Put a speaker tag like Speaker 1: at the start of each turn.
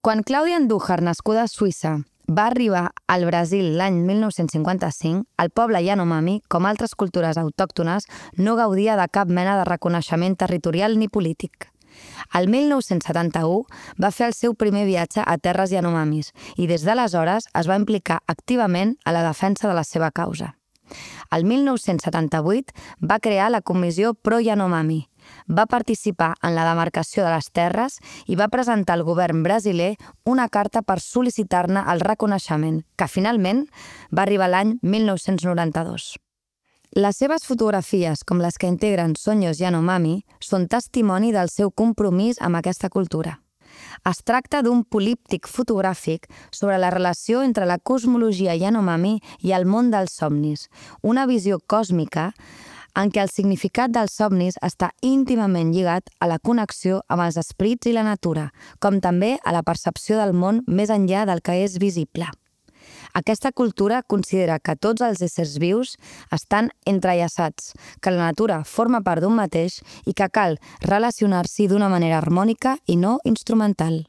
Speaker 1: Quan Clàudia Andújar, nascuda a Suïssa, va arribar al Brasil l'any 1955, el poble Yanomami, com altres cultures autòctones, no gaudia de cap mena de reconeixement territorial ni polític. El 1971 va fer el seu primer viatge a terres Yanomamis i des d'aleshores es va implicar activament a la defensa de la seva causa. El 1978 va crear la Comissió Pro Yanomami, va participar en la demarcació de les terres i va presentar al govern brasiler una carta per sol·licitar-ne el reconeixement, que finalment va arribar l'any 1992. Les seves fotografies, com les que integren Sonhos Yanomami, són testimoni del seu compromís amb aquesta cultura. Es tracta d'un políptic fotogràfic sobre la relació entre la cosmologia Yanomami i el món dels somnis, una visió còsmica en què el significat dels somnis està íntimament lligat a la connexió amb els esprits i la natura, com també a la percepció del món més enllà del que és visible. Aquesta cultura considera que tots els éssers vius estan entrellaçats, que la natura forma part d'un mateix i que cal relacionar-s'hi d'una manera harmònica i no instrumental.